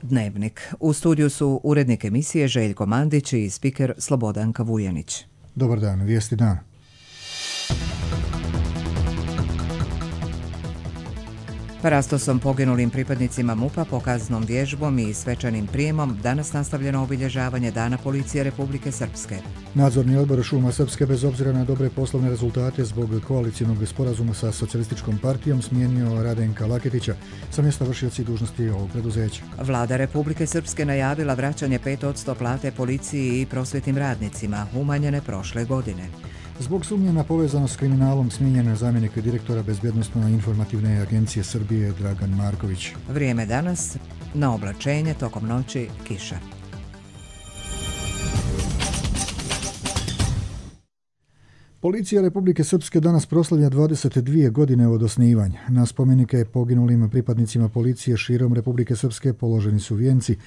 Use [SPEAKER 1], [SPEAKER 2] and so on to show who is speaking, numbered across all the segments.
[SPEAKER 1] Dnevnik. U studiju su urednik emisije Željko Mandić i spiker Slobodanka Vujanić.
[SPEAKER 2] Dobar dan, vijesti dana.
[SPEAKER 1] Parastosom poginulim pripadnicima MUP-a, pokaznom vježbom i svečanim prijemom danas nastavljeno obilježavanje Dana policije Republike Srpske.
[SPEAKER 2] Nadzorni odbor Šuma Srpske, bez obzira na dobre poslovne rezultate zbog koalicijnog sporazuma sa socijalističkom partijom, smijenio Radenka Laketića sa mjesta vršioci dužnosti ovog preduzeća.
[SPEAKER 1] Vlada Republike Srpske najavila vraćanje 5% plate policiji i prosvjetnim radnicima, umanjene prošle godine.
[SPEAKER 2] Zbog sumnje na povezanost s kriminalom smijenjen je zamjenik direktora Bezbjednosno-informativne agencije Srbije Dragan Marković.
[SPEAKER 1] Vrijeme danas, na oblačenje, tokom noći kiša.
[SPEAKER 2] Policija Republike Srpske danas proslavlja 22 godine od osnivanja. Na spomenike poginulim pripadnicima policije širom Republike Srpske položeni su vijenci,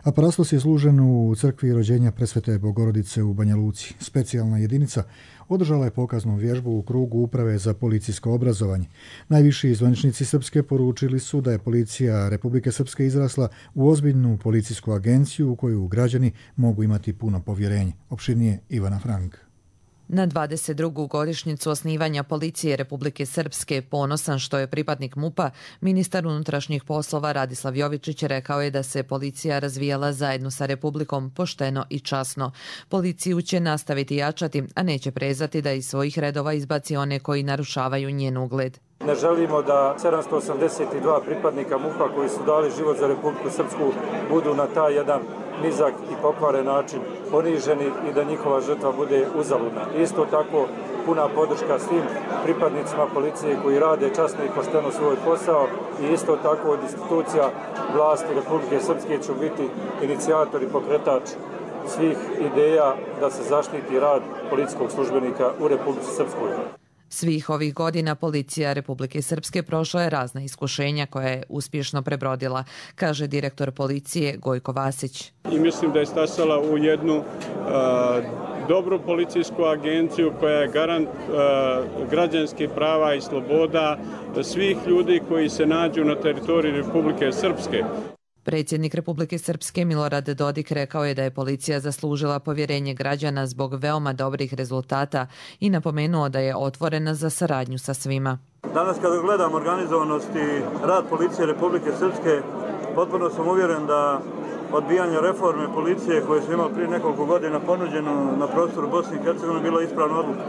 [SPEAKER 2] a parastos je služen u crkvi rođenja Presvete Bogorodice u Banja Luci. Specijalna jedinica održala je pokaznu vježbu u krugu Uprave za policijsko obrazovanje. Najviši zvaničnici Srpske poručili su da je policija Republike Srpske izrasla u ozbiljnu policijsku agenciju u koju građani mogu imati puno povjerenje. Opširnije Ivana Frank.
[SPEAKER 3] Na 22. godišnjicu osnivanja policije Republike Srpske, ponosan što je pripadnik MUP-a, ministar unutrašnjih poslova Radislav Jovičić rekao je da se policija razvijala zajedno sa Republikom pošteno i časno. Policiju će nastaviti jačati, a neće prezati da iz svojih redova izbaci one koji narušavaju njen ugled.
[SPEAKER 4] Ne želimo da 782 pripadnika MUP-a koji su dali život za Republiku Srpsku budu na taj jedan nizak i pokvaren način poniženi i da njihova žrtva bude uzaludna. Isto tako puna podrška svim pripadnicima policije koji rade časno i pošteno svoj posao i isto tako od institucija vlasti Republike Srpske će biti inicijator i pokretač svih ideja da se zaštiti rad policijskog službenika u Republici Srpskoj.
[SPEAKER 3] Svih ovih godina policija Republike Srpske prošla je razna iskušenja koja je uspješno prebrodila, kaže direktor policije Gojko Vasić.
[SPEAKER 5] I mislim da je stasala u jednu dobru policijsku agenciju koja je garant građanskih prava i sloboda svih ljudi koji se nađu na teritoriji Republike Srpske.
[SPEAKER 3] Predsjednik Republike Srpske Milorad Dodik rekao je da je policija zaslužila povjerenje građana zbog veoma dobrih rezultata i napomenuo da je otvorena za saradnju sa svima.
[SPEAKER 6] Danas kada gledam organizovanost i rad policije Republike Srpske, potpuno sam uvjeren da odbijanje reforme policije koje smo imali prije nekoliko godina ponuđeno na prostoru Bosne i Hercegovine bila ispravna odluka.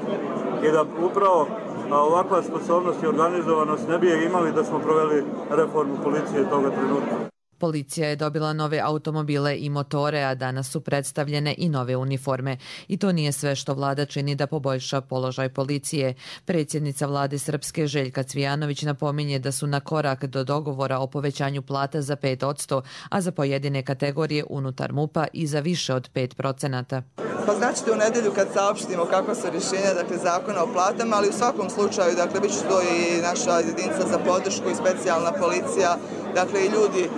[SPEAKER 6] I da upravo ovakva sposobnost i organizovanost ne bi je imali da smo proveli reformu policije toga trenutka.
[SPEAKER 3] Policija je dobila nove automobile i motore, a danas su predstavljene i nove uniforme. I to nije sve što vlada čini da poboljša položaj policije. Predsjednica vlade Srpske Željka Cvijanović napominje da su na korak do dogovora o povećanju plata za 5%, a za pojedine kategorije unutar MUP-a i za više od 5%.
[SPEAKER 7] Pa znači u nedjelju kad saopštimo kakva su rješenja, dakle zakona o platama, ali u svakom slučaju, dakle bit će to i naša jedinica za podršku i specijalna policija, dakle i ljudi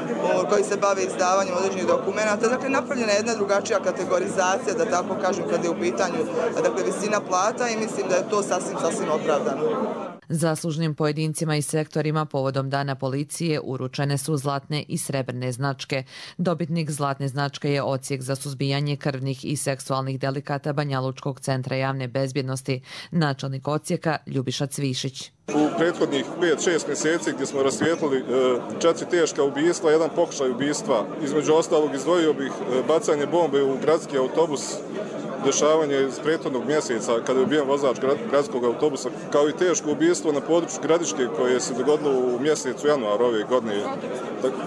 [SPEAKER 7] koji se bave izdavanjem određenih dokumenata, dakle napravljena je jedna drugačija kategorizacija, da tako kažem, kad je u pitanju dakle visina plata i mislim da je to sasvim opravdano.
[SPEAKER 3] Zaslužnim pojedincima i sektorima povodom Dana policije uručene su zlatne i srebrne značke. Dobitnik zlatne značke je Odsjek za suzbijanje krvnih i seksualnih delikata Banjalučkog centra javne bezbjednosti, načelnik odsjeka Ljubiša Cvišić.
[SPEAKER 8] U prethodnih 5-6 mjeseci gdje smo rasvijetlili 4 teška ubistva, jedan pokušaj ubistva, između ostalog izdvojio bih bacanje bombe u gradski autobus, dešavanje iz prethodnog mjeseca kada je ubijen vozač gradskog autobusa, kao i teško ubistvo na području Gradiške koje se dogodilo u mjesecu januaru ove godine,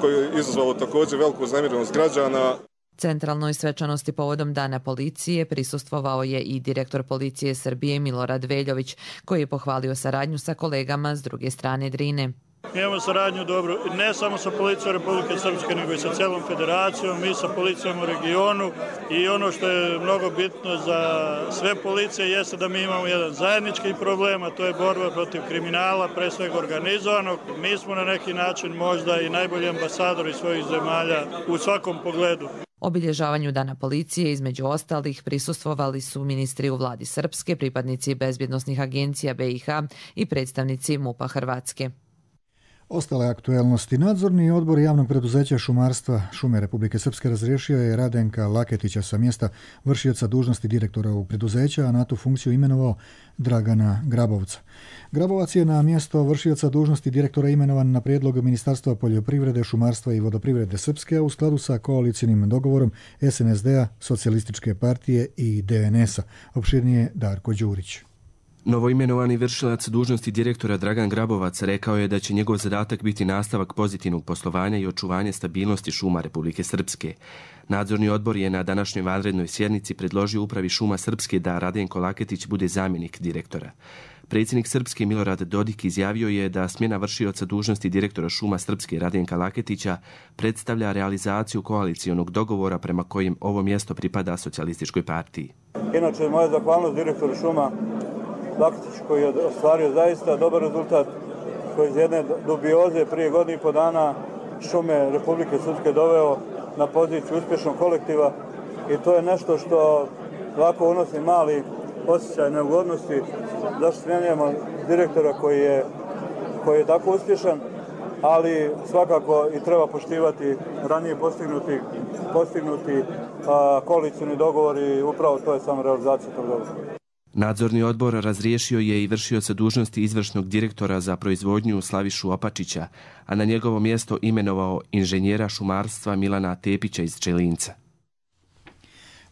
[SPEAKER 8] koje je izazvalo također veliku uznemirenost građana.
[SPEAKER 3] Centralnoj svečanosti povodom Dana policije prisustvovao je i direktor policije Srbije Milorad Veljović, koji je pohvalio saradnju sa kolegama s druge strane Drine.
[SPEAKER 9] Mi imamo saradnju dobro, ne samo sa policijom Republike Srpske, nego i sa celom federacijom, mi sa policijom u regionu i ono što je mnogo bitno za sve policije jeste da mi imamo jedan zajednički problem, a to je borba protiv kriminala, pre svega organizovanog. Mi smo na neki način možda i najbolji ambasadori svojih zemalja u svakom pogledu.
[SPEAKER 3] Obilježavanju Dana policije između ostalih prisustvovali su ministri u vladi Srpske, pripadnici bezbjednosnih agencija BiH i predstavnici MUP-a Hrvatske.
[SPEAKER 2] Ostale aktuelnosti. Nadzorni odbor javnog preduzeća šumarstva Šume Republike Srpske razriješio je Radenka Laketića sa mjesta vršioca dužnosti direktora ovog preduzeća, a na tu funkciju imenovao Dragana Grabovca. Grabovac je na mjesto vršioca dužnosti direktora imenovan na prijedlog Ministarstva poljoprivrede, šumarstva i vodoprivrede Srpske u skladu sa koalicijnim dogovorom SNSD-a, Socijalističke partije i DNS-a. Opširnije Darko Đurić.
[SPEAKER 10] Novoimenovani vršilac dužnosti direktora Dragan Grabovac rekao je da će njegov zadatak biti nastavak pozitivnog poslovanja i očuvanje stabilnosti šuma Republike Srpske. Nadzorni odbor je na današnjoj vanrednoj sjednici predložio upravi šuma Srpske da Radenko Laketić bude zamjenik direktora. Predsjednik Srpske Milorad Dodik izjavio je da smjena vršioca dužnosti direktora šuma Srpske Radenka Laketića predstavlja realizaciju koalicijonog dogovora prema kojem ovo mjesto pripada Socijalističkoj partiji.
[SPEAKER 6] Inače, moja zahvalnost direktoru šuma Laketić koji je ostvario zaista dobar rezultat, koji iz jedne dubioze prije godinu i po dana šume Republike Srpske doveo na poziciju uspješnog kolektiva i to je nešto što lako unosi mali osjećaj neugodnosti zašto smjenjujemo direktora koji je tako uspješan, ali svakako i treba poštivati ranije postignuti koalicijni dogovor i upravo to je samo realizacija tog dogovora.
[SPEAKER 10] Nadzorni odbor razriješio je i vršioca dužnosti izvršnog direktora za proizvodnju Slavišu Opačića, a na njegovo mjesto imenovao inženjera šumarstva Milana Tepića iz Čelinca.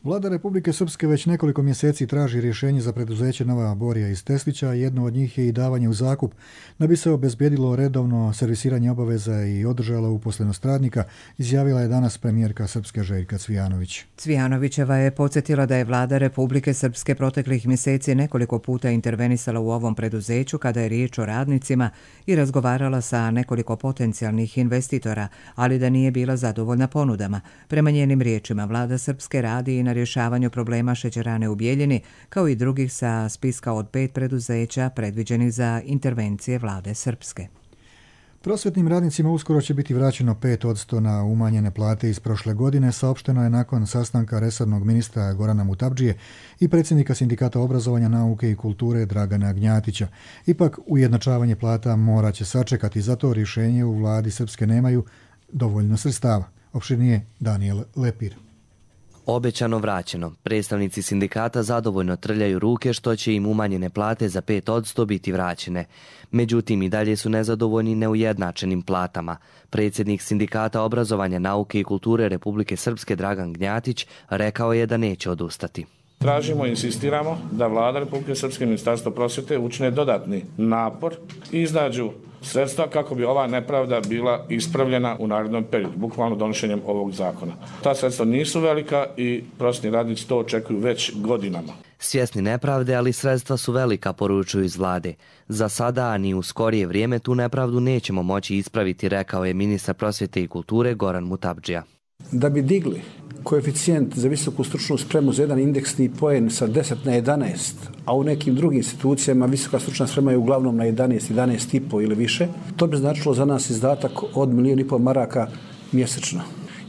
[SPEAKER 2] Vlada Republike Srpske već nekoliko mjeseci traži rješenje za preduzeće Nova Borija iz Teslića, a jedno od njih je i davanje u zakup, da bi se obezbjedilo redovno servisiranje obaveza i održala uposlenost radnika, izjavila je danas premijerka Srpske Željka Cvijanović.
[SPEAKER 1] Cvijanovićeva je podsjetila da je Vlada Republike Srpske proteklih mjeseci nekoliko puta intervenisala u ovom preduzeću kada je riječ o radnicima i razgovarala sa nekoliko potencijalnih investitora, ali da nije bila zadovoljna ponudama. Prema njenim riječima, Vlada Srpske radi i na rješavanju problema šećerane u Bijeljini, kao i drugih sa spiska od 5 preduzeća predviđenih za intervencije Vlade Srpske.
[SPEAKER 2] Prosvjetnim radnicima uskoro će biti vraćeno 5% na umanjene plate iz prošle godine, saopšteno je nakon sastanka resornog ministra Gorana Mutapdžije i predsjednika Sindikata obrazovanja, nauke i kulture Dragana Gnjatića. Ipak, ujednačavanje plata morat će sačekati, zato rješenje u Vladi Srpske nemaju dovoljno sredstava. Opširnije Daniel Lepir.
[SPEAKER 11] Obećano vraćeno. Predstavnici sindikata zadovoljno trljaju ruke što će im umanjene plate za 5% biti vraćene. Međutim, i dalje su nezadovoljni neujednačenim platama. Predsjednik Sindikata obrazovanja, nauke i kulture Republike Srpske Dragan Gnjatić rekao je da neće odustati.
[SPEAKER 12] Tražimo i insistiramo da Vlada Republike Srpske i Ministarstvo prosvjete učine dodatni napor i iznađu sredstva kako bi ova nepravda bila ispravljena u narednom periodu, bukvalno donošenjem ovog zakona. Ta sredstva nisu velika i prosvjetni radnici to očekuju već godinama.
[SPEAKER 11] Svjesni nepravde, ali sredstva su velika, poručuju iz Vlade. Za sada, a ni u skorije vrijeme, tu nepravdu nećemo moći ispraviti, rekao je ministar prosvjete i kulture Goran Mutapdžija.
[SPEAKER 13] Da bi digli koeficijent za visoku stručnu spremu za jedan indeksni poen sa 10 na 11, a u nekim drugim institucijama visoka stručna sprema je uglavnom na 11, 11,5 ili više, to bi značilo za nas izdatak od 1,5 milijuna maraka mjesečno.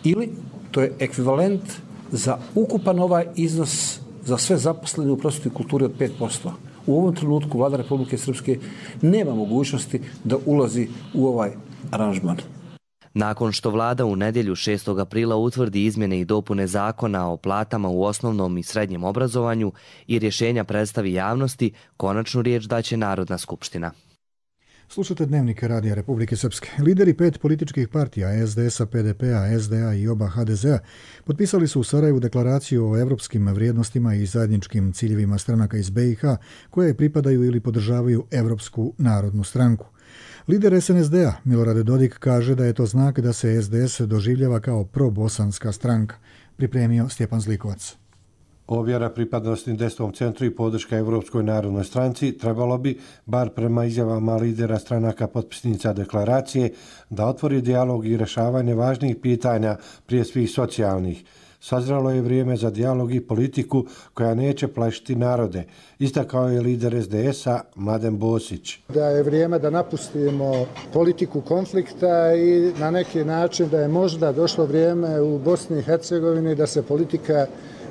[SPEAKER 13] Ili to je ekvivalent za ukupan ovaj iznos za sve zaposlene u prosvjeti i kulturi od 5%. U ovom trenutku Vlada Republike Srpske nema mogućnosti da ulazi u ovaj aranžman.
[SPEAKER 11] Nakon što Vlada u nedjelju 6. aprila utvrdi izmjene i dopune zakona o platama u osnovnom i srednjem obrazovanju i rješenja predstavi javnosti, konačnu riječ daće Narodna skupština.
[SPEAKER 2] Slušate Dnevnik Radija Republike Srpske. Lideri 5 političkih partija SDS-a, PDP-a, SDA i oba HDZ-a potpisali su u Sarajevu deklaraciju o evropskim vrijednostima i zajedničkim ciljevima stranaka iz BiH koje pripadaju ili podržavaju Evropsku narodnu stranku. Lider SNSD-a Milorad Dodik kaže da je to znak da se SDS doživljava kao probosanska stranka. Pripremio Stjepan Zlikovac.
[SPEAKER 14] Ovjera pripadnosti desnom centru i podrška Evropskoj narodnoj stranci trebalo bi, bar prema izjavama lidera stranaka potpisnica deklaracije, da otvori dijalog i rješavanje važnih pitanja, prije svih socijalnih. Sazrelo je vrijeme za dijalog i politiku koja neće plašiti narode, istakao je lider SDS-a Mladen Bosić.
[SPEAKER 15] Da je vrijeme da napustimo politiku konflikta i na neki način da je možda došlo vrijeme u Bosni i Hercegovini da se politika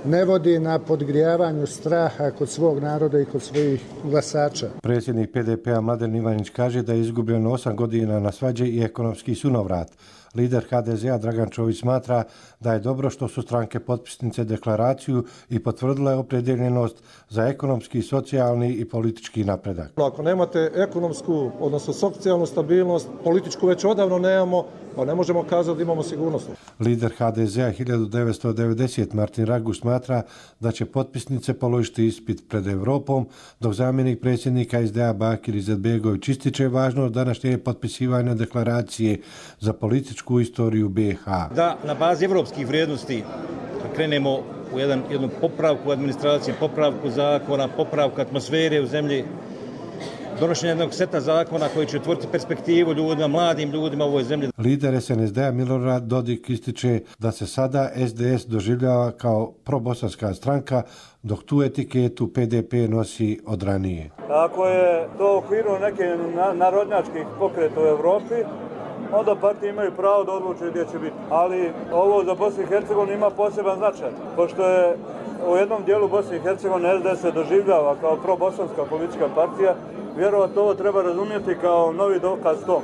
[SPEAKER 15] ne vodi na podgrijavanju straha kod svog naroda i kod svojih glasača.
[SPEAKER 14] Predsjednik PDP-a Mladen Ivanić kaže da je izgubljeno 8 godina na svađe i ekonomski sunovrat. Lider HDZ-a Dragan Čović smatra da je dobro što su stranke potpisnice deklaraciju i potvrdile opredjeljenost za ekonomski, socijalni i politički napredak.
[SPEAKER 16] Ako nemate ekonomsku, odnosno socijalnu stabilnost, političku već odavno nemamo, pa ne možemo kazati da imamo sigurnost.
[SPEAKER 14] Lider HDZ-a 1990 Martin Raguš smatra da će potpisnice položiti ispit pred Evropom, dok zamjenik predsjednika SDA Bakir Izetbegović ističe važnost današnje potpisivanja deklaracije za političku istoriju BiH.
[SPEAKER 17] Da na bazi evropskih vrijednosti krenemo u jednu popravku administracije, popravku zakona, popravku atmosfere u zemlji, donošenje jednog seta zakona koji će otvoriti perspektivu ljudima, mladim ljudima u ovoj zemlji.
[SPEAKER 14] Lider SNSD-a Milorad Dodik ističe da se sada SDS doživljava kao probosanska stranka, dok tu etiketu PDP nosi od ranije.
[SPEAKER 6] Ako je to u okviru neke narodnjačkih pokreta u Evropi, onda partije imaju pravo da odlučuju gdje će biti. Ali ovo za Bosnu i Hercegovinu ima poseban značaj, pošto je u jednom dijelu Bosne i Hercegovine SDS se doživljava kao probosanska politička partija, vjerovatno ovo treba razumjeti kao novi dokaz tom.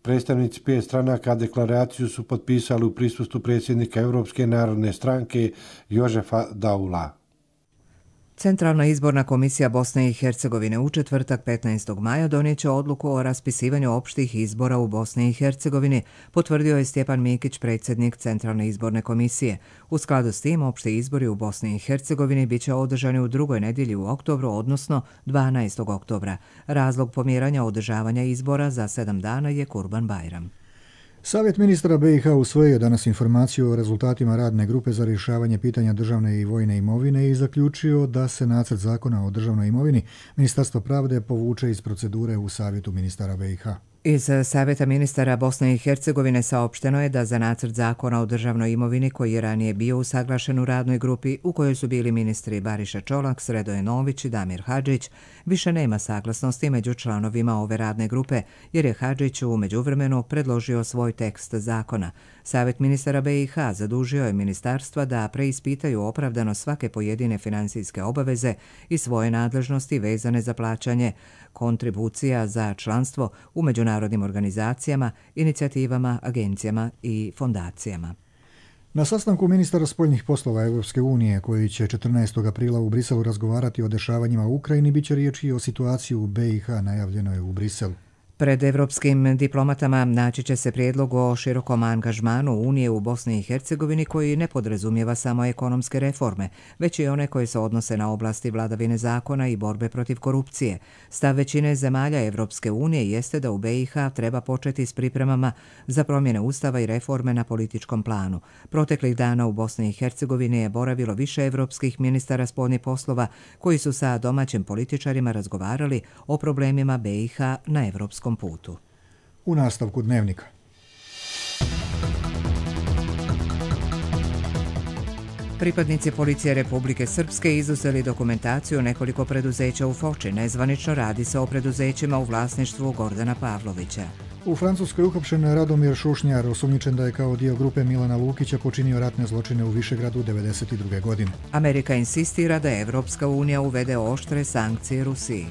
[SPEAKER 14] Predstavnici 5 stranaka deklaraciju su potpisali u prisustvu predsjednika Europske narodne stranke Jožefa Daula.
[SPEAKER 1] Centralna izborna komisija Bosne i Hercegovine u četvrtak 15. maja donijeće odluku o raspisivanju opštih izbora u Bosni i Hercegovini, potvrdio je Stjepan Mikić, predsjednik Centralne izborne komisije. U skladu s tim, opšti izbori u Bosni i Hercegovini biće održani u drugoj nedjelji u oktobru, odnosno 12. oktobra. Razlog pomjeranja održavanja izbora za 7 dana je Kurban Bajram.
[SPEAKER 2] Savjet ministara BiH usvojio danas informaciju o rezultatima radne grupe za rješavanje pitanja državne i vojne imovine i zaključio da se nacrt zakona o državnoj imovini Ministarstva pravde povuče iz procedure u Savjetu ministara BiH.
[SPEAKER 1] Iz Savjeta ministara Bosne i Hercegovine saopšteno je da za nacrt zakona o državnoj imovini, koji je ranije bio usaglašen u radnoj grupi u kojoj su bili ministri Bariša Čolak, Sredoje Nović i Damir Hadžić, više nema saglasnosti među članovima ove radne grupe, jer je Hadžić u međuvremenu predložio svoj tekst zakona. Savjet ministara BiH zadužio je ministarstva da preispitaju opravdano svake pojedine financijske obaveze i svoje nadležnosti vezane za plaćanje kontribucija za članstvo u međunarodnim organizacijama, inicijativama, agencijama i fondacijama.
[SPEAKER 2] Na sastanku ministara spoljnih poslova Europske unije, koji će 14. aprila u Briselu razgovarati o dešavanjima u Ukrajini, biće riječi o situaciji u BiH, najavljeno je u Briselu.
[SPEAKER 1] Pred evropskim diplomatama naći će se prijedlog o širokom angažmanu Unije u Bosni i Hercegovini koji ne podrazumijeva samo ekonomske reforme, već i one koje se odnose na oblasti vladavine zakona i borbe protiv korupcije. Stav većine zemalja Evropske unije jeste da u BiH treba početi s pripremama za promjene ustava i reforme na političkom planu. Proteklih dana u Bosni i Hercegovini je boravilo više evropskih ministara spoljnih poslova koji su sa domaćim političarima razgovarali o problemima BiH na evropskom putu.
[SPEAKER 2] U nastavku dnevnika.
[SPEAKER 1] Pripadnici policije Republike Srpske izuzeli dokumentaciju nekoliko preduzeća u Foči. Nezvanično radi se o preduzećima u vlasništvu Gordana Pavlovića.
[SPEAKER 2] U Francuskoj uhapšen Radomir Šušnjar, osumnjičen da je kao dio grupe Milana Lukića počinio ratne zločine u Višegradu 1992. godine.
[SPEAKER 1] Amerika insistira da Evropska unija uvede oštre sankcije Rusiji.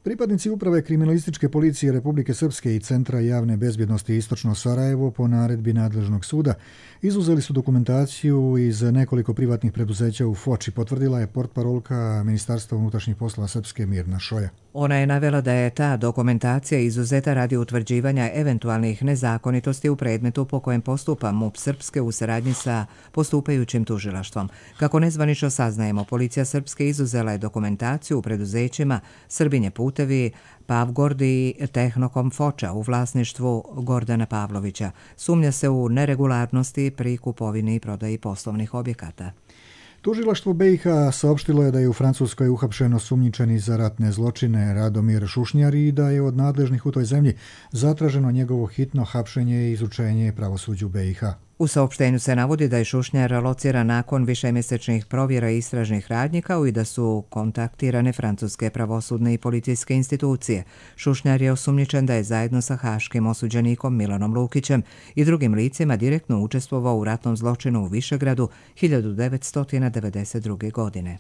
[SPEAKER 2] Pripadnici uprave kriminalističke policije Republike Srpske i Centra javne bezbjednosti Istočno Sarajevo po naredbi nadležnog suda izuzeli su dokumentaciju iz nekoliko privatnih preduzeća u Foči, potvrdila je portparolka Ministarstva unutrašnjih poslova Srpske Mirna Šoja.
[SPEAKER 1] Ona je navela da je ta dokumentacija izuzeta radi utvrđivanja eventualnih nezakonitosti u predmetu po kojem postupa MUP Srpske u saradnji sa postupajućim tužilaštvom. Kako nezvanično saznajemo, policija Srpske izuzela je dokumentaciju u preduzećima Srbinje putevi, Pavgord i Tehnokom Foča u vlasništvu Gordana Pavlovića. Sumnja se u neregularnosti pri kupovini i prodaji poslovnih objekata.
[SPEAKER 2] Tužilaštvo BiH saopštilo je da je u Francuskoj uhapšen osumnjičeni za ratne zločine Radomir Šušnjar i da je od nadležnih u toj zemlji zatraženo njegovo hitno hapšenje i izučenje pravosuđu BiH.
[SPEAKER 1] U saopštenju se navodi da je Šušnjar lociran nakon višemjesečnih provjera i istražnih radnji, kao i da su kontaktirane francuske pravosudne i policijske institucije. Šušnjar je osumnjičen da je zajedno sa haškim osuđenikom Milanom Lukićem i drugim licima direktno učestvovao u ratnom zločinu u Višegradu 1992. godine.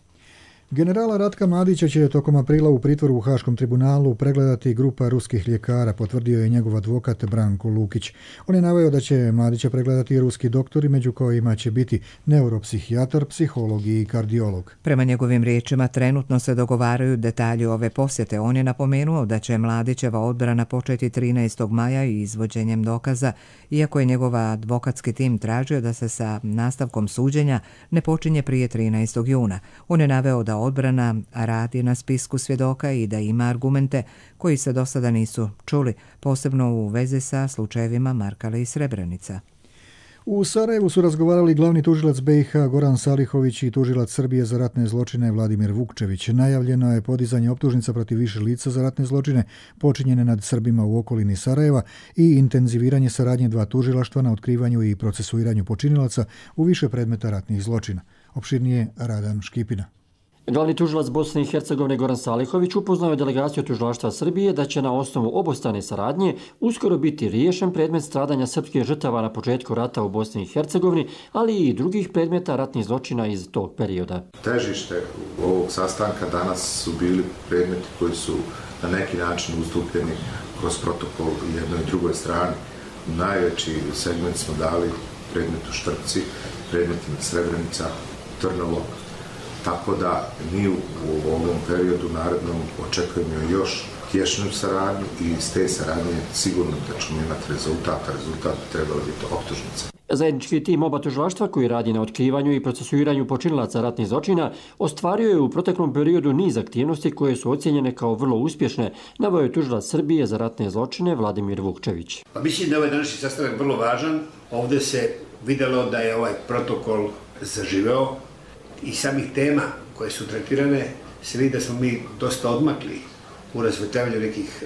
[SPEAKER 2] Generala Ratka Mladića će tokom aprila u pritvoru u Haškom tribunalu pregledati grupa ruskih ljekara, potvrdio je njegov advokat Branko Lukić. On je naveo da će Mladića pregledati ruski doktori, među kojima će biti neuropsihijatar, psiholog i kardiolog.
[SPEAKER 1] Prema njegovim riječima, trenutno se dogovaraju detalji ove posjete. On je napomenuo da će Mladićeva odbrana početi 13. maja i izvođenjem dokaza, iako je njegov advokatski tim tražio da se sa nastavkom suđenja ne počinje prije 13. juna. On je naveo da odbrana radi na spisku svjedoka i da ima argumente koji se do sada nisu čuli, posebno u vezi sa slučajevima Markale i Srebrenica.
[SPEAKER 2] U Sarajevu su razgovarali glavni tužilac BiH Goran Salihović i tužilac Srbije za ratne zločine Vladimir Vukčević. Najavljeno je podizanje optužnica protiv više lica za ratne zločine počinjene nad Srbima u okolini Sarajeva i intenziviranje saradnje dva tužilaštva na otkrivanju i procesuiranju počinilaca u više predmeta ratnih zločina. Opširnije Radan Škipina.
[SPEAKER 18] Glavni tužilac Bosne i Hercegovine Goran Salihović upoznao je delegaciju tužilaštva Srbije da će na osnovu obostrane saradnje uskoro biti riješen predmet stradanja srpskih žrtava na početku rata u Bosni i Hercegovini, ali i drugih predmeta ratnih zločina iz tog perioda.
[SPEAKER 19] Težište ovog sastanka danas su bili predmeti koji su na neki način ustupljeni kroz protokol jednoj i drugoj strani. Najveći segment smo dali predmetu Štrpci, predmetima Srebrenica, Trnovo, tako da mi u ovom periodu narednom očekujemo još tješnju saradnju i iz te saradnje sigurno da ćemo imati rezultat bi trebalo biti optužnica.
[SPEAKER 18] Zajednički tim oba tužilaštva koji radi na otkrivanju i procesuiranju počinilaca ratnih zločina ostvario je u proteklom periodu niz aktivnosti koje su ocijenjene kao vrlo uspješne, naveo je tužilac Srbije za ratne zločine Vladimir Vukčević.
[SPEAKER 20] Mislim da je ovaj današnji sastanak vrlo važan. Ovdje se vidjelo da je ovaj protokol zaživeo i samih tema koje su tretirane se vidi da smo mi dosta odmakli u razvetavanju nekih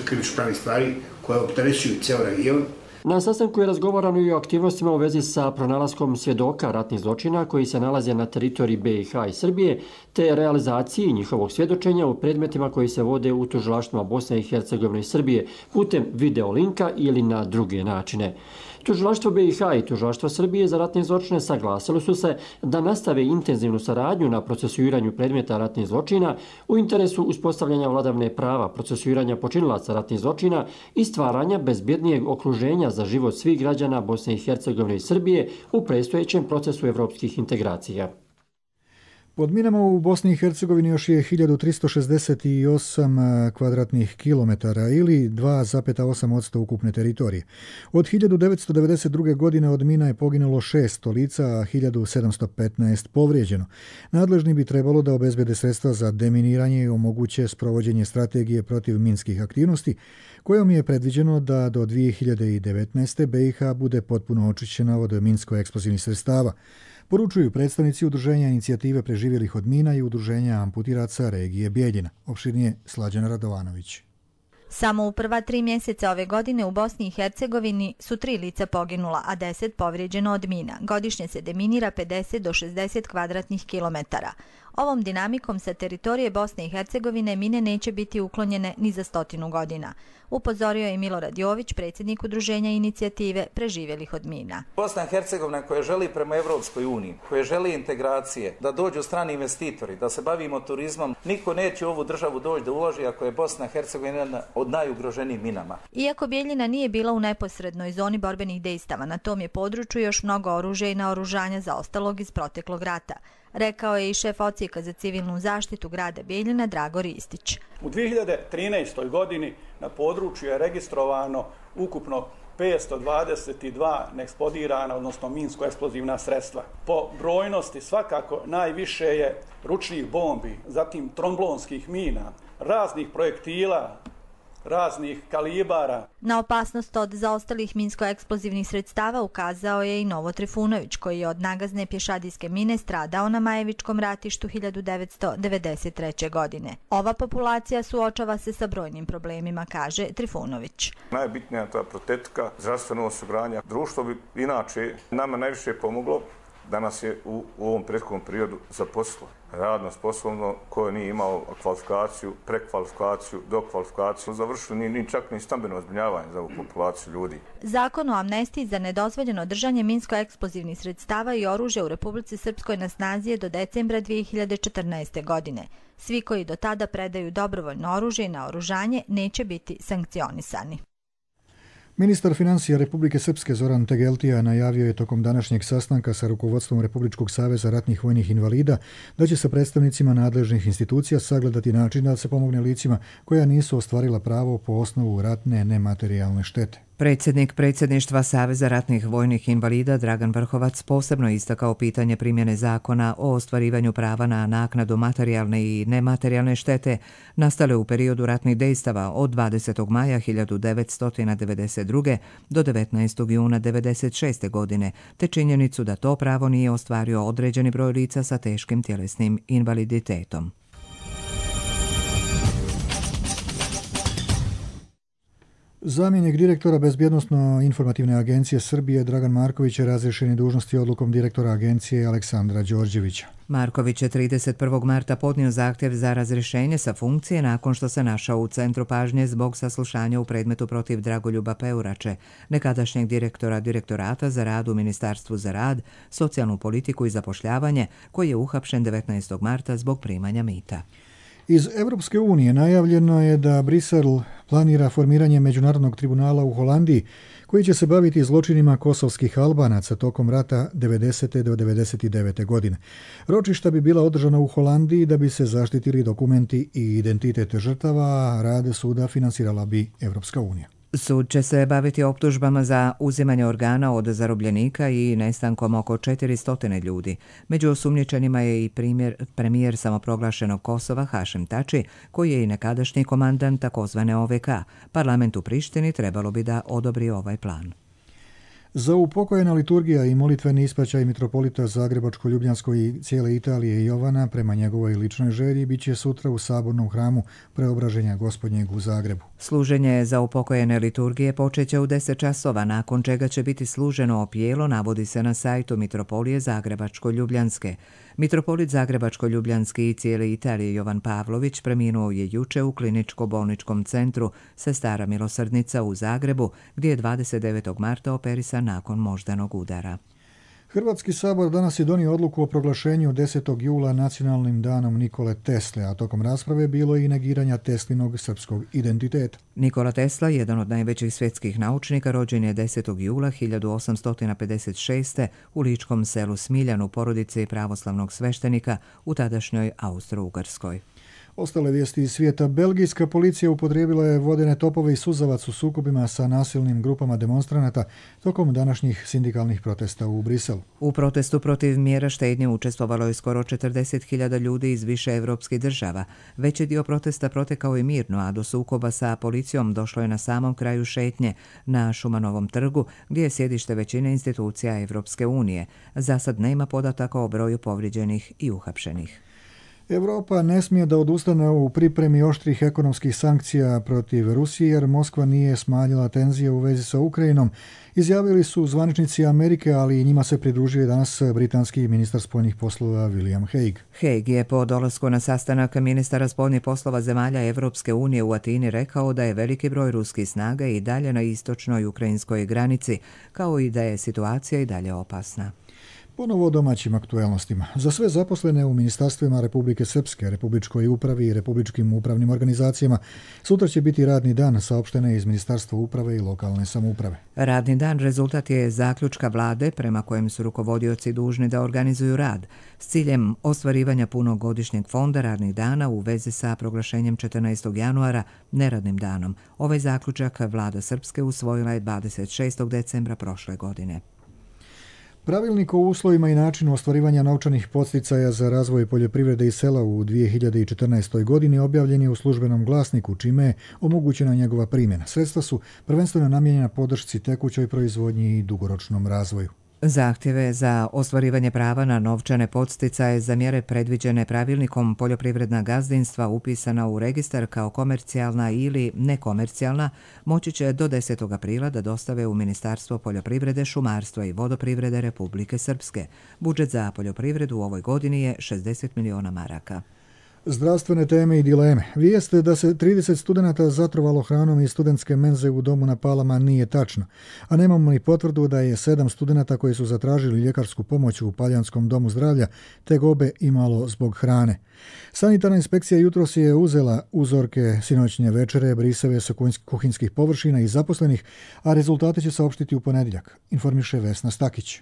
[SPEAKER 20] krivično-pravnih stvari koje opterećuju ceo region.
[SPEAKER 18] Na sastanku je razgovarano i o aktivnostima u vezi sa pronalaskom svjedoka ratnih zločina koji se nalaze na teritoriji BiH i Srbije, te realizaciji njihovog svjedočenja u predmetima koji se vode u tužilaštvima Bosne i Hercegovine i Srbije putem videolinka ili na druge načine. Tužilaštvo BiH i tužilaštvo Srbije za ratne zločine saglasili su se da nastave intenzivnu saradnju na procesuiranju predmeta ratnih zločina u interesu uspostavljanja vladavine prava, procesuiranja počinilaca ratnih zločina i stvaranja bezbjednijeg okruženja za život svih građana Bosne i Hercegovine i Srbije u predstojećem procesu evropskih integracija.
[SPEAKER 2] Pod minama u Bosni i Hercegovini još je 1368 kvadratnih kilometara ili 2,8% ukupne teritorije. Od 1992. godine od mina je poginulo 600 lica, a 1715 povrijeđeno. Nadležni bi trebalo da obezbede sredstva za deminiranje i omoguće sprovođenje strategije protiv minskih aktivnosti, kojom je predviđeno da do 2019. BiH bude potpuno očišćena od minsko-eksplozivnih sredstava. Poručuju predstavnici Udruženja inicijative preživjelih od mina i Udruženja amputiraca regije Bijeljina. Opširnije Slađana Radovanović.
[SPEAKER 21] Samo u prva 3 mjeseca ove godine u Bosni i Hercegovini su 3 lica poginula, a 10 povrijeđeno od mina. Godišnje se deminira 50 do 60 kvadratnih kilometara. Ovom dinamikom sa teritorije Bosne i Hercegovine mine neće biti uklonjene ni za 100 godina. Upozorio je Milorad Jović, predsjednik Udruženja inicijative preživjelih od mina.
[SPEAKER 22] Bosna i Hercegovina koja želi prema Evropskoj uniji, koja želi integracije, da dođu strani investitori, da se bavimo turizmom, niko neće u ovu državu doći da uloži ako je Bosna i Hercegovina jedna od najugroženijih minama.
[SPEAKER 21] Iako Bijeljina nije bila u neposrednoj zoni borbenih dejstava, na tom je području još mnogo oružja i naoružanja zaostalog iz proteklog rata, rekao je i šef odsjeka za civilnu zaštitu grada Bijeljina Drago Ristić.
[SPEAKER 23] U 2013. godini na području je registrovano ukupno 522 neeksplodirana, odnosno minsko-eksplozivna sredstva. Po brojnosti svakako najviše je ručnih bombi, zatim tromblonskih mina, raznih projektila raznih kalibara.
[SPEAKER 21] Na opasnost od zaostalih minsko-eksplozivnih sredstava ukazao je i Novo Trifunović, koji je od nagazne pješadijske mine stradao na Majevičkom ratištu 1993. godine. Ova populacija suočava se sa brojnim problemima, kaže Trifunović.
[SPEAKER 4] Najbitnija je ta protetika, zdravstveno osiguranje. Društvo bi inače nama najviše pomoglo da nas je u ovom prethodnom periodu zaposlilo. Radno sposobno, koje nije imao kvalifikaciju, prekvalifikaciju, dokvalifikaciju, završili ni čak ni stambeno zbrinjavanje za ovu populaciju ljudi.
[SPEAKER 21] Zakon o amnestiji za nedozvoljeno držanje minsko-eksplozivnih sredstava i oružja u Republici Srpskoj na snazi je do decembra 2014. godine. Svi koji do tada predaju dobrovoljno oružje i naoružanje neće biti sankcionisani.
[SPEAKER 2] Ministar financija Republike Srpske Zoran Tegeltija najavio je tokom današnjeg sastanka sa rukovodstvom Republičkog saveza ratnih vojnih invalida da će sa predstavnicima nadležnih institucija sagledati način da se pomogne licima koja nisu ostvarila pravo po osnovu ratne nematerijalne štete.
[SPEAKER 1] Predsjednik predsjedništva Saveza ratnih vojnih invalida Dragan Vrhovac posebno istakao pitanje primjene zakona o ostvarivanju prava na naknadu materijalne i nematerijalne štete nastale u periodu ratnih dejstava od 20. maja 1992. do 19. juna 1996. godine, te činjenicu da to pravo nije ostvario određeni broj lica sa teškim tjelesnim invaliditetom.
[SPEAKER 2] Zamjenik direktora Bezbjednosno-informativne agencije Srbije Dragan Marković je razriješen je dužnosti odlukom direktora agencije Aleksandra Đorđevića.
[SPEAKER 1] Marković je 31. marta podnio zahtjev za razrješenje sa funkcije nakon što se našao u centru pažnje zbog saslušanja u predmetu protiv Dragoljuba Peurače, nekadašnjeg direktora Direktorata za rad u Ministarstvu za rad, socijalnu politiku i zapošljavanje, koji je uhapšen 19. marta zbog primanja mita.
[SPEAKER 2] Iz Europske unije najavljeno je da Brisel planira formiranje Međunarodnog tribunala u Holandiji koji će se baviti zločinima kosovskih Albanaca tokom rata 90. do 99. godine. Ročišta bi bila održana u Holandiji da bi se zaštitili dokumenti i identitet žrtava, a rad suda finansirala bi Europska unija.
[SPEAKER 1] Sud će se baviti optužbama za uzimanje organa od zarobljenika i nestankom oko 400 ljudi. Među osumnjičenima je i premijer samoproglašenog Kosova Hašim Tači, koji je i nekadašnji komandant takozvane OVK. Parlament u Prištini trebalo bi da odobri ovaj plan.
[SPEAKER 2] Za upokojena liturgija i molitveni ispraćaj mitropolita Zagrebačko-Ljubljanskoj i cijele Italije Jovana prema njegovoj ličnoj želji bit će sutra u Sabornom hramu Preobraženja Gospodnjeg u Zagrebu.
[SPEAKER 1] Služenje za upokojene liturgije počeće u 10 časova, nakon čega će biti služeno opijelo, navodi se na sajtu Mitropolije Zagrebačko-Ljubljanske. Mitropolit Zagrebačko-Ljubljanski i cijele Italije Jovan Pavlović preminuo je juče u kliničko-bolničkom centru Sestara Milosrdnica u Zagrebu, gdje je 29. marta operisan nakon moždanog udara.
[SPEAKER 2] Hrvatski sabor danas je donio odluku o proglašenju 10. jula nacionalnim danom Nikole Tesle, a tokom rasprave bilo je i negiranja Teslinog srpskog identiteta.
[SPEAKER 1] Nikola Tesla, jedan od najvećih svjetskih naučnika, rođen je 10. jula 1856. u ličkom selu Smiljan u porodici pravoslavnog sveštenika u tadašnjoj Austro-Ugarskoj.
[SPEAKER 2] Ostale vijesti iz svijeta. Belgijska policija upotrijebila je vodene topove i suzavac u sukobima sa nasilnim grupama demonstranata tokom današnjih sindikalnih protesta u Briselu.
[SPEAKER 1] U protestu protiv mjera štednje učestvovalo je skoro 40.000 ljudi iz više evropskih država. Veći dio protesta protekao je mirno, a do sukoba sa policijom došlo je na samom kraju šetnje na Šumanovom trgu, gdje je sjedište većine institucija Evropske unije. Za sad nema podataka o broju povrijeđenih i uhapšenih.
[SPEAKER 2] Europa ne smije da odustane u pripremi oštrih ekonomskih sankcija protiv Rusije jer Moskva nije smanjila tenzije u vezi sa Ukrajinom, izjavili su zvaničnici Amerike, ali i njima se pridružio danas britanski ministar spoljnih poslova William Hague.
[SPEAKER 1] Hague je po dolasku na sastanak ministara spoljnih poslova zemalja Evropske unije u Atini rekao da je veliki broj ruskih snaga i dalje na istočnoj ukrajinskoj granici, kao i da je situacija i dalje opasna.
[SPEAKER 2] Ponovo o domaćim aktuelnostima. Za sve zaposlene u ministarstvima Republike Srpske, Republičkoj upravi i republičkim upravnim organizacijama sutra će biti radni dan, saopštene iz Ministarstva uprave i lokalne samouprave.
[SPEAKER 1] Radni dan rezultat je zaključka vlade prema kojem su rukovodioci dužni da organizuju rad s ciljem ostvarivanja punog godišnjeg fonda radnih dana u vezi sa proglašenjem 14. januara neradnim danom. Ovaj zaključak vlada Srpske usvojila je 26. decembra prošle godine.
[SPEAKER 2] Pravilnik o uslovima i načinu ostvarivanja novčanih podsticaja za razvoj poljoprivrede i sela u 2014. godini objavljen je u Službenom glasniku, čime je omogućena njegova primjena. Sredstva su prvenstveno namijenjena podršci tekućoj proizvodnji i dugoročnom razvoju.
[SPEAKER 1] Zahtjeve za ostvarivanje prava na novčane podsticaje za mjere predviđene pravilnikom poljoprivredna gazdinstva upisana u registar kao komercijalna ili nekomercijalna moći će do 10. aprila da dostave u Ministarstvo poljoprivrede, šumarstva i vodoprivrede Republike Srpske. Budžet za poljoprivredu u ovoj godini je 60 miliona maraka.
[SPEAKER 2] Zdravstvene teme i dileme. Vijest da se 30 studenata zatrovalo hranom iz studentske menze u domu na Palama nije tačno, a nemamo ni potvrdu da je 7 studenata koji su zatražili ljekarsku pomoć u Paljanskom domu zdravlja tegobe imalo zbog hrane. Sanitarna inspekcija jutros je uzela uzorke sinoćnje večere, brisave sa kuhinjskih površina i zaposlenih, a rezultate će saopštiti u ponedjeljak, informiše Vesna Stakić.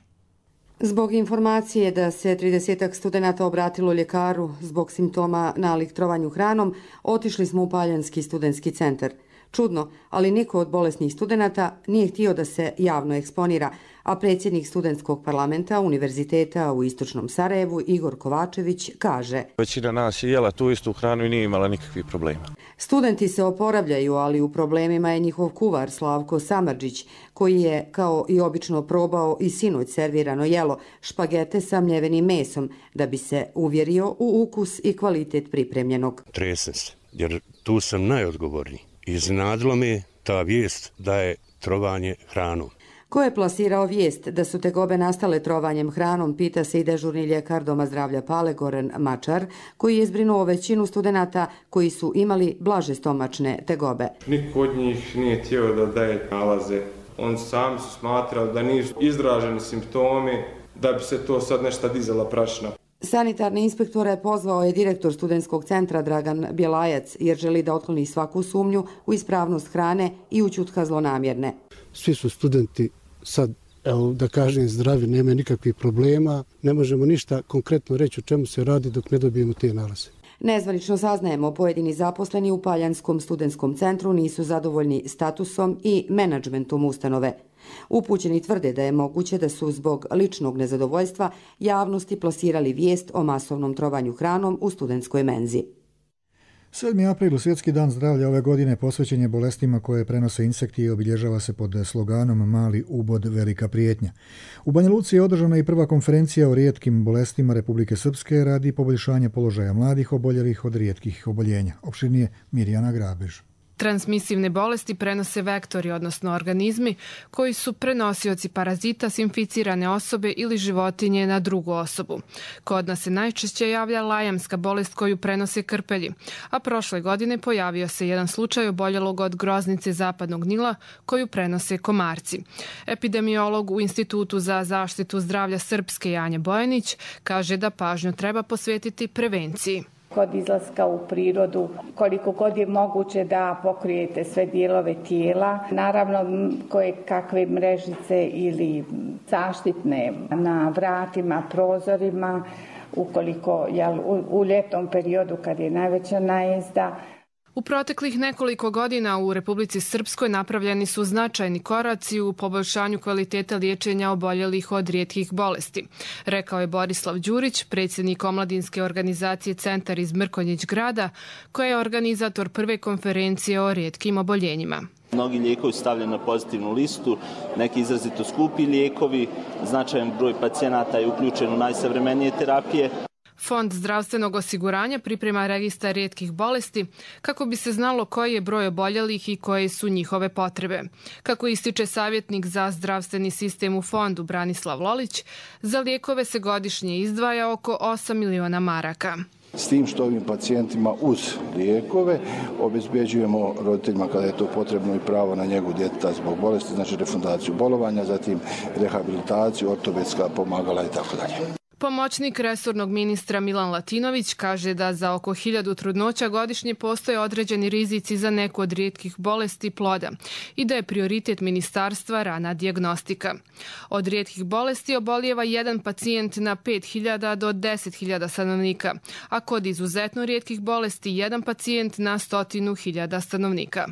[SPEAKER 5] Zbog informacije da se 30 studenata obratilo ljekaru zbog simptoma nalik trovanju hranom, otišli smo u Paljanski studentski centar. Čudno, ali niko od bolesnih studenata nije htio da se javno eksponira, a predsjednik studentskog parlamenta Univerziteta u Istočnom Sarajevu Igor Kovačević kaže:
[SPEAKER 7] Većina nas je jela tu istu hranu i nije imala nikakvih problema.
[SPEAKER 5] Studenti se oporavljaju, ali u problemima je njihov kuvar Slavko Samardžić, koji je, kao i obično, probao i sinoć servirano jelo, špagete sa mljevenim mesom, da bi se uvjerio u ukus i kvalitet pripremljenog.
[SPEAKER 8] Tresem se, jer tu sam najodgovorniji. Iznenadilo me ta vijest da je trovanje hranom.
[SPEAKER 5] Ko je plasirao vijest da su tegobe nastale trovanjem hranom, pita se i dežurni ljekar Doma zdravlja Pale Goran Mačar, koji je zbrinuo većinu studenata koji su imali blaže stomačne tegobe.
[SPEAKER 24] Niko od njih nije htio da daje nalaze. Oni sami su smatrali da nisu izraženi simptomi, da bi se to sad nešto dizala prašina.
[SPEAKER 5] Sanitarne inspektore pozvao je direktor studentskog centra Dragan Bjelajac, jer želi da otkloni svaku sumnju u ispravnost hrane i ućutka zlonamjerne.
[SPEAKER 25] Svi su studenti sad, evo da kažem, zdravi, nema nikakvih problema. Ne možemo ništa konkretno reći o čemu se radi dok ne dobijemo te nalaze.
[SPEAKER 5] Nezvanično saznajemo, pojedini zaposleni u Paljanskom studentskom centru nisu zadovoljni statusom i menadžmentom ustanove. Upućeni tvrde da je moguće da su zbog ličnog nezadovoljstva javnosti plasirali vijest o masovnom trovanju hranom u studentskoj menzi.
[SPEAKER 2] 7. april, Svjetski dan zdravlja ove godine, posvećen je bolestima koje prenose insekti i obilježava se pod sloganom Mali ubod, velika prijetnja. U Banja Luci je održana i prva konferencija o rijetkim bolestima Republike Srpske radi poboljšanja položaja mladih oboljelih od rijetkih oboljenja. Opširnije Mirjana Grabež.
[SPEAKER 26] Transmisivne bolesti prenose vektori, odnosno organizmi, koji su prenosioci parazita s inficirane osobe ili životinje na drugu osobu. Kod nas se najčešće javlja lajamska bolest koju prenose krpelji, a prošle godine pojavio se jedan slučaj oboljelog od groznice zapadnog Nila koju prenose komarci. Epidemiolog u Institutu za zaštitu zdravlja Srpske Janja Bojanić kaže da pažnju treba posvetiti prevenciji.
[SPEAKER 27] Kod izlaska u prirodu, koliko god je moguće da pokrijete sve dijelove tijela. Naravno, koje kakve mrežice ili zaštitne na vratima, prozorima, ukoliko u ljetnom periodu kad je najveća najezda.
[SPEAKER 26] U proteklih nekoliko godina u Republici Srpskoj napravljeni su značajni koraci u poboljšanju kvaliteta liječenja oboljelih od rijetkih bolesti, rekao je Borislav Đurić, predsjednik omladinske organizacije Centar iz Mrkonjić grada, koja je organizator prve konferencije o rijetkim oboljenjima.
[SPEAKER 28] Mnogi lijekovi su stavljeni na pozitivnu listu, neki izrazito skupi lijekovi, značajan broj pacijenata je uključen u najsavremenije terapije.
[SPEAKER 26] Fond zdravstvenog osiguranja priprema registar rijetkih bolesti kako bi se znalo koji je broj oboljelih i koje su njihove potrebe. Kako ističe savjetnik za zdravstveni sistem u fondu Branislav Lolić, za lijekove se godišnje izdvaja oko 8 miliona maraka.
[SPEAKER 29] S tim što ovim pacijentima uz lijekove obezbeđujemo roditeljima kada je to potrebno i pravo na njegu djeteta zbog bolesti, znači refundaciju bolovanja, zatim rehabilitaciju, ortopedska pomagala i tako dalje.
[SPEAKER 26] Pomoćnik resornog ministra Milan Latinović kaže da za oko 1000 trudnoća godišnje postoje određeni rizici za neku od rijetkih bolesti ploda i da je prioritet ministarstva rana dijagnostika. Od rijetkih bolesti obolijeva jedan pacijent na 5.000 do 10.000 stanovnika, a kod izuzetno rijetkih bolesti jedan pacijent na 100.000 stanovnika.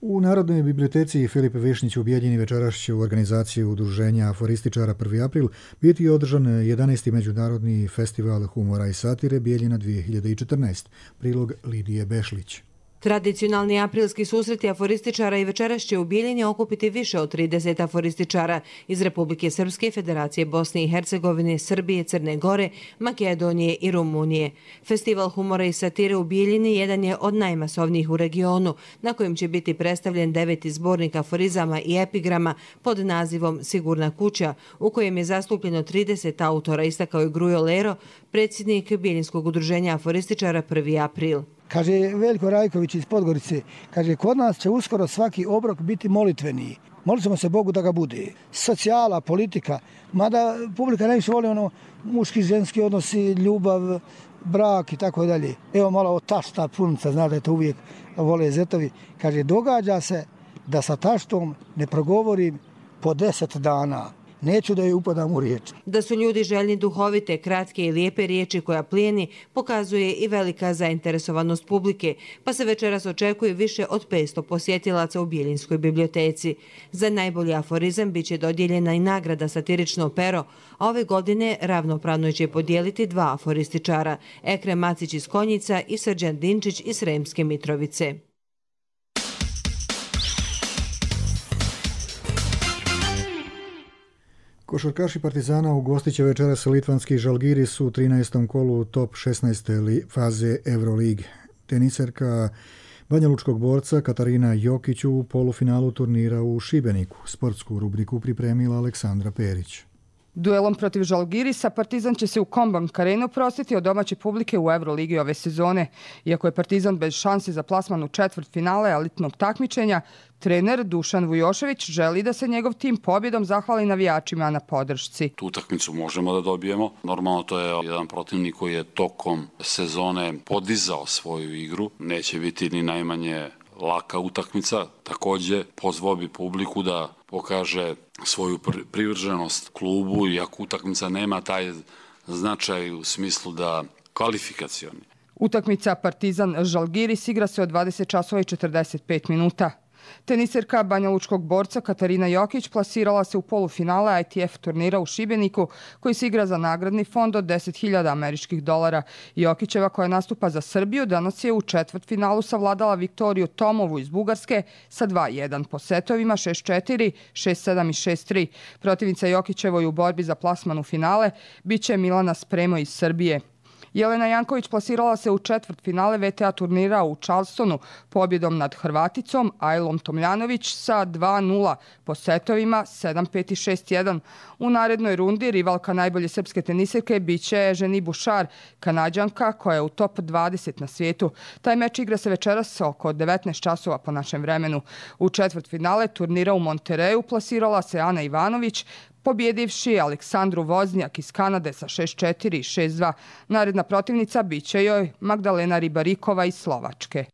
[SPEAKER 2] U Narodnoj biblioteci Filip Višnjić u Bijeljini večeras će u organizaciji udruženja aforističara 1. april biti održan 11. međunarodni festival humora i satire Bijeljina 2014. Prilog Lidije Bešlić.
[SPEAKER 3] Tradicionalni aprilski susreti aforističara i večeras će u Bijeljini okupiti više od 30 aforističara iz Republike Srpske, Federacije Bosne i Hercegovine, Srbije, Crne Gore, Makedonije i Rumunije. Festival humora i satire u Bijeljini jedan je od najmasovnijih u regionu, na kojem će biti predstavljen 9. zbornik aforizama i epigrama pod nazivom Sigurna kuća, u kojem je zastupljeno 30 autora, istakao je Grujo Lero, predsjednik Bijeljinskog udruženja aforističara 1. april.
[SPEAKER 9] Kaže Veljko Rajković iz Podgorice, kaže kod nas će uskoro svaki obrok biti molitveniji. Molit ćemo se Bogu da ga bude. Socijala, politika, mada publika najviše voli muški, ženski odnosi, ljubav, brak i tako dalje. Evo malo o tašta punica, zna da je to uvijek vole zetovi. Kaže, događa se da sa taštom ne progovorim po 10 dana. Neću da je upadam u riječ.
[SPEAKER 3] Da su ljudi željni duhovite, kratke i lijepe riječi koja plijeni, pokazuje i velika zainteresovanost publike, pa se večeras očekuje više od 500 posjetilaca u Bijeljinskoj biblioteci. Za najbolji aforizam biće dodijeljena i nagrada Satirično pero, a ove godine ravnopravno će podijeliti 2 aforističara, Ekrem Macić iz Konjica i Srđan Dinčić iz Sremske Mitrovice.
[SPEAKER 2] Košarkaši Partizana ugostit će večeras litvanski Žalgiris u 13. kolu top 16. faze Euroligi. Teniserka banjalučkog borca Katarina Jokić u polufinalu turnira u Šibeniku. Sportsku rubriku pripremila Aleksandra Perić.
[SPEAKER 10] Duelom protiv Žalgirisa Partizan će se u Kombank Arenu prostiti od domaće publike u Euroligi ove sezone. Iako je Partizan bez šansi za plasman u četvrtfinale elitnog takmičenja, trener Dušan Vujošević želi da se njegov tim pobjedom zahvali navijačima na podršci.
[SPEAKER 11] Tu utakmicu možemo da dobijemo. Normalno to je jedan protivnik koji je tokom sezone podizao svoju igru. Neće biti ni najmanje laka utakmica. Također pozvao bi publiku da pokaže svoju privrženost klubu, iako utakmica nema taj značaj u smislu da kvalifikacioni.
[SPEAKER 10] Utakmica Partizan-Žalgiris igra se od 20 časova i 45 minuta. Teniserka banjalučkog borca Katarina Jokić plasirala se u polufinale ITF turnira u Šibeniku, koji se igra za nagradni fond od $10.000 američkih. Jokićeva, koja nastupa za Srbiju, danas je u četvrtfinalu savladala Viktoriju Tomovu iz Bugarske sa 2-1 po setovima 6-4, 6-7 i 6-3. Protivnica Jokićevoj u borbi za plasman u finale biće Milana Spremo iz Srbije. Jelena Janković plasirala se u četvrtfinale VTA turnira u Charlestonu pobjedom nad Hrvaticom Ajlom Tomljanović sa 2-0 po setovima 7-5 i 6-1. U narednoj rundi rivalka najbolje srpske teniserke biće Ženi Bušar, Kanađanka koja je u top 20 na svijetu. Taj meč igra se večeras oko 19 časova po našem vremenu. U četvrtfinale turnira u Montereju plasirala se Ana Ivanović, pobjedivši Aleksandru Voznjak iz Kanade sa 6-4 i 6-2. Naredna protivnica biće joj Magdalena Ribarikova iz Slovačke.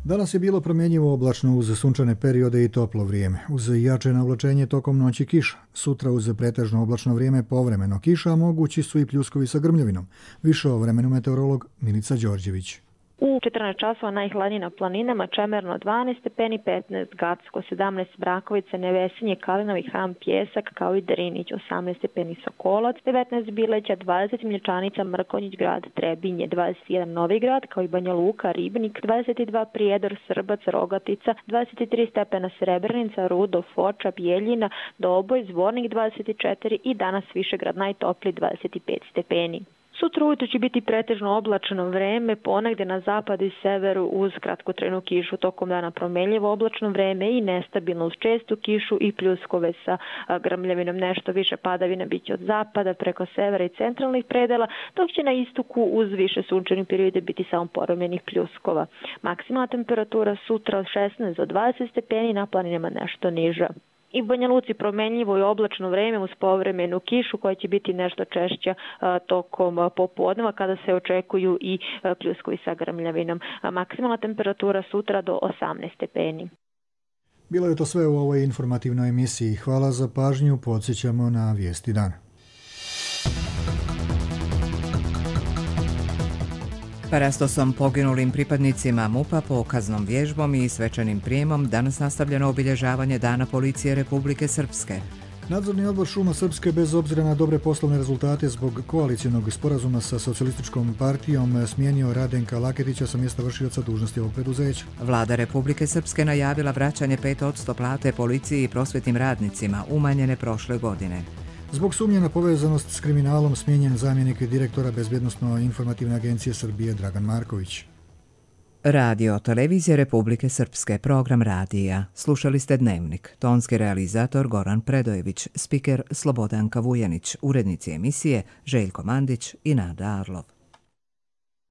[SPEAKER 2] Danas je bilo promjenjivo oblačno uz sunčane periode i toplo vrijeme. Uz jače navlačenje tokom noći kiša. Sutra uz pretežno oblačno vrijeme povremeno kiša, a mogući su i pljuskovi sa grmljavinom. Više o vremenu meteorolog Milica Đorđević.
[SPEAKER 12] U 14 časova najhladnije na planinama, Čemerno 12 stepeni, 15 Gacko, 17 Brakovice, Nevesinje, Kalinovi, Hram, Pjesak, kao i Drinić, 18 stepeni Sokolac, 19 Bileća, 20 Mlječanica, Mrkonjić grad, Trebinje, 21 Novi grad, kao i Banja Luka, Ribnik, 22 Prijedor, Srbac, Rogatica, 23 stepena Srebrenica, Rudo, Foča, Bijeljina, Doboj, Zvornik 24 i danas Višegrad najtopliji 25 stepeni. Sutra ujutro će biti pretežno oblačno vreme, ponegdje na zapadu i severu uz kratkotrajnu kišu, tokom dana promenljivo oblačno vreme i nestabilno uz čestu kišu i pljuskove sa grmljavinom. Nešto više padavina biće od zapada preko severa i centralnih predela, dok će na istoku uz više sunčanih periode biti samo povremenih pljuskova. Maksimalna temperatura sutra od 16 do 20 stepeni, na planinama nešto niža. I u Banja Luci promenljivo i oblačno vreme uz povremenu kišu koja će biti nešto češća tokom popodneva kada se očekuju i pljuskovi sa grmljavinom. Maksimalna temperatura sutra do 18 stepeni.
[SPEAKER 2] Bilo je to sve u ovoj informativnoj emisiji. Hvala za pažnju. Podsjećamo na vijesti dana.
[SPEAKER 1] Parastosom poginulim pripadnicima MUP-a, pokaznom vježbom i svečanim prijemom danas nastavljeno obilježavanje Dana policije Republike Srpske.
[SPEAKER 2] Nadzorni odbor Šuma Srpske, bez obzira na dobre poslovne rezultate zbog koalicionog sporazuma sa socijalističkom partijom, smijenio Radenka Laketića sa mjesta vršioca dužnosti ovog preduzeća.
[SPEAKER 1] Vlada Republike Srpske najavila vraćanje 5% plate policiji i prosvjetnim radnicima, umanjene prošle godine.
[SPEAKER 2] Zbog sumnje na povezanost s kriminalom smijenjen zamjenik direktora Bezbjednosno-informativne agencije Srbije Dragan Marković.
[SPEAKER 1] Radio Televizije Republike Srpske, program radija. Slušali ste Dnevnik. Tonski realizator Goran Predojević, spiker Slobodanka Vujanić, urednici emisije Željko Mandić i Nada Arlov.